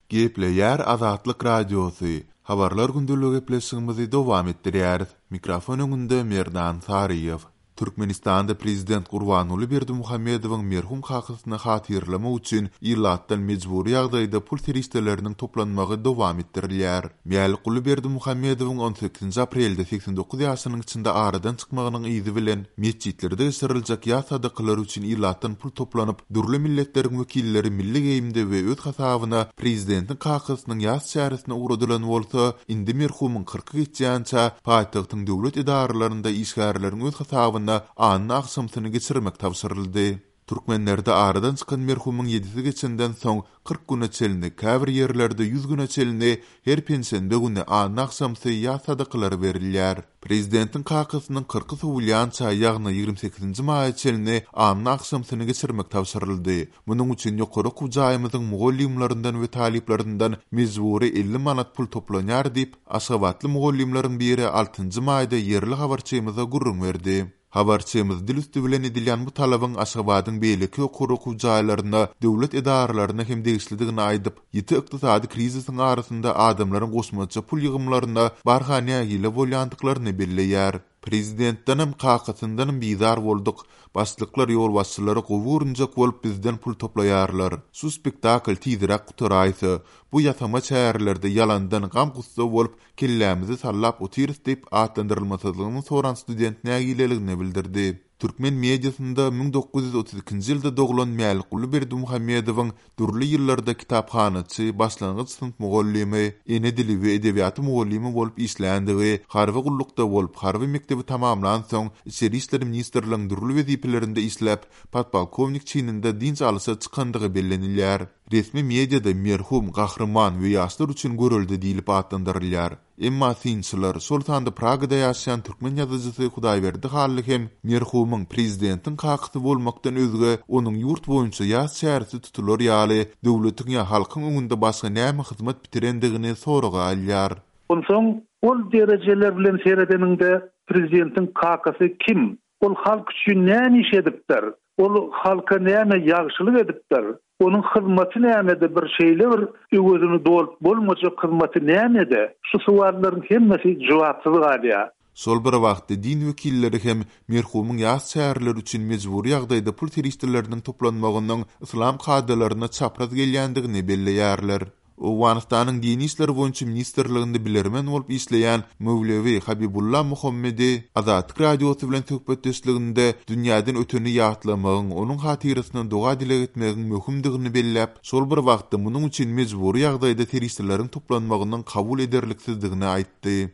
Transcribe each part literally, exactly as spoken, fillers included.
Gepleýär Azatlyk Radiosy, Habarlar gündeligi gepleşigimizi dowam etdirýäris. Mikrofon öňünde Merdan Saryýew. Türkmenistanda prezident Gurbanguly Berdimuhamedowyň merhum kakasyny hatyralamak üçin ilatdan mejbury ýagdaýda pul serişdeleriniň toplanmagy dowam etdirilýär. Mälikguly Berdimuhamedowyň on sekizinji aprelde segsen dokuz ýaşynyň içinde aradan çykmagynyň yzy bilen metjitlerde geçiriljek ýas sadakalary üçin ilatdan pul toplanyp, dürli milletleriň wekilleri milli geýimde we öz hasabyna prezidentiň kakasynyň ýas çäresine ugradylan bolsa, indi merhumyň kyrky geçýänçä paýtagtyň döwlet edaralarynda işgärleriň öz hasabyna anna agşamsyny geçirmek tabşyryldy. Türkmenlerde aradan çykan merhumyň ýedisi geçenden soň kyrk güne çenli, käbir ýerlerde ýüz güne çenli her penşenbe güni anna agşamsy ýas sadakalary berilýär. Prezidentiň kakasynyň kyrky sowulýança, ýagny ýigrimi sekizinji maýa çenli anna agşamsyny geçirmek tabşyryldy. Munuň üçin ýokary okuw jaýymyzyň mugallymlaryndan we talyplaryndan mejbury elli manat pul toplanýar diýip, Aşgabatly mugallymlaryň biri altynjy maýda ýerli habarçymyza gürrüň berdi. Habarçymyz dil üsti bilen edilýän bu talabyň Aşgabadyň beýleki ýokary okuw jaýlaryna, döwlet edaralaryna hem degişlidigini aýdyp, ýiti ykdysady krizisiň arasynda adamlaryň goşmaça pul ýygymlaryna barha nägile bolýandyklaryny belleýär. Prezidentdenem, kakasyndanam bizar bolduk. Başlyklar ýolbaşçylary gowy görünjek bolup bizden pul toplaýarlar. Şu spektakl tizräk gutaraýsa, bu ýasama çärelerde ýalandan gam-gussa bolup kellämizi sallap otyrys diýip atlandyrylmasyzlygyny soran student nägileligini bildirdi. Türkmen mediasynda müň dokuz ýüz otuz ikinji ýylda doglan Mälikguly Berdimuhamedowyň dürli ýyllarda kitaphanaçy, başlangyç synp mugallymy, ene dili we edebiýaty mugallymy bolup işländigi, harby gullukda bolup, harby mekdebi tamamlan soň Içeri işler ministrligiň dürli wezipelerinde işläp, podpolkownik çininde dynç alyşa çykandygy bellenilýär. Resmi mediada merhum, gahryman we ýaşlar üçin görelde diýlip atlandyrylýar. Emma synçylar, şol sanda Pragada ýaşaýan türkmen ýazyjysy Hudaýberdi Hally hem merhumyň prezidentiň kakasy bolmakdan özge onuň ýurt boýunça ýas çäresi tutular ýaly döwletiň ýa halkyň öňünde başga näme hyzmat bitirendigini soraga alýar. Onsoň ol derejeler bilen seredeniňde prezidentiň kakasy kim? Ol halk üçin näme iş edipdir? Ol halka näme ýagşylyk edipdir? Onuň hyzmaty nämede, bir şeýle bir öwezini dolup bolmajak hyzmaty nämede? Şu sowallaryň hemmesi jogapsyz galýar. Şol bir wagtda din wekilleri hem merhumyň ýas çäreleri üçin mejbury ýagdaýda pul serişdeleriniň toplanmagynyň yslam kadalaryna çapraz gelýändigini belleýärler. Owganystanyň Dini işler boýunça ministrliginde bilermen bolup işleýän Mewlewi Habibulla Muhammedi Azatlyk Radiosy bilen söhbetdeşliginde dünýäden öteni ýatlamagyň, onuň hatyrasyna doga dileg etmegiň möhümdigini belläp, şol bir wagtda munuň üçin mejbury ýagdaýda serişdeleriň toplanmagynyň kabul ederliksizdigini aýtdy.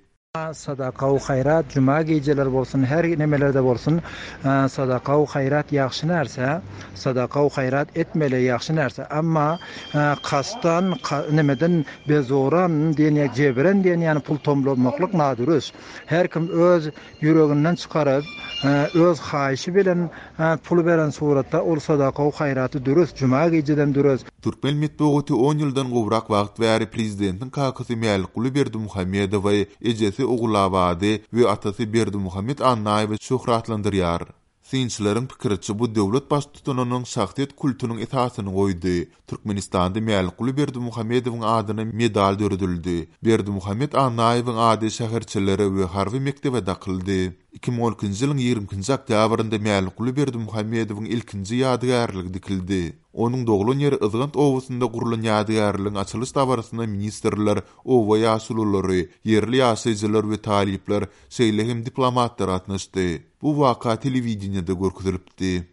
Sadaka u hayrat, cuma geceler bolsun, her nemelerde bolsun, sadaka u hayrat ýagşy närse, sadaka u hayrat etmeli ýagşy närse. Amma kastan, nemeden bezoran diýen ýa jebren diýen ýany pul tomlamaklyk nadürüst. Her kim öz ýüreginden çykaryp, öz haýyşy bilen pul beren suratda ol sadaka u hayraty dürüst, cuma geceden dürüst. Türkmen metbugaty on ýyldan gowrak wagt bäri prezidentiň kakasy Mälikguly Berdimuhamedowy, ejesi Ogulabady we atasy Berdimuhamed Annaýewi şöhratlandyrýar. Synçylaryň pikiriçe bu döwlet baştutanynyň şahsyýet kultunyň esasyny goýdy. Türkmenistanda Mälikguly Berdimuhamedowyň adyna medal döredildi. Berdimuhamed Annaýewiň ady şäherçelere we harby mekdebe dakyldy. Iki müň on ikinji ýylyň ýigrimi ikinji oktýabrynda Mälikguly Berdimuhamedowyň ilkinji ýadygärligi dikildi. Onuň doglan ýeri Yzgant obasynda gurulan ýadygärligiň açylyş dabarasyna ministrler, oba ýaşululary, ýerli ýaşaýjylar we talyplar, şeýle hem diplomatlar gatnaşdy. Bu waka telewideniýede görkezilipdi.